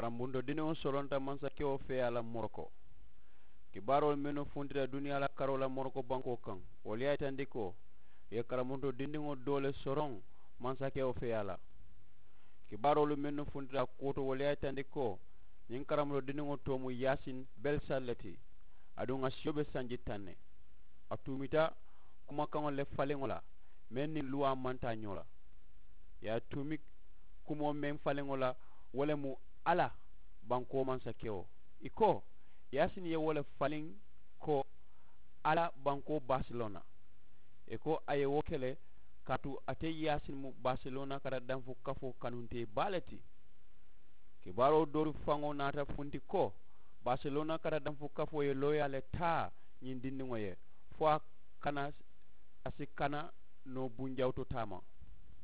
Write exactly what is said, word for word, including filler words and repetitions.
Karambuntoo dindiŋo soronta mansakewo feeyaa la moroko. Kibaaroolu mennu funtita duniyaa la karoo la moroko bankoo kaŋ, wolu ye a yitandi ko ì ye karambuntoo dindiŋo doo le soroŋ mansakewo feeyaa la. Kibaaroolu mennu funtita a kuwo to, wolu ye a yitandi ko ñiŋ karambuntoo dindiŋo too mu yaasin belsali le ti. Aduŋ a siyo be sanji taŋ ne. A tuumita kumakaŋo le faliŋo la meŋ niŋ luwaa maŋ taa ñoo la. Ì ye a tuumi kumoo meŋ faliŋo la, wo le mu alla bankoo mansakewo. Ì ko yaasin ye wo le faliŋ ko alla bankoo baasilona. Ì ko a ye wo ke le kaatu ate yaasin mu baasilona kata danfu kafoo kanuntee baa le ti. Kibaaroo doolu faŋo naata funti ko baasilona kata danfu kafoo ye looyaa le taa ñiŋ dindiŋo ye fo a kana a si kana noo bunjawuto taama.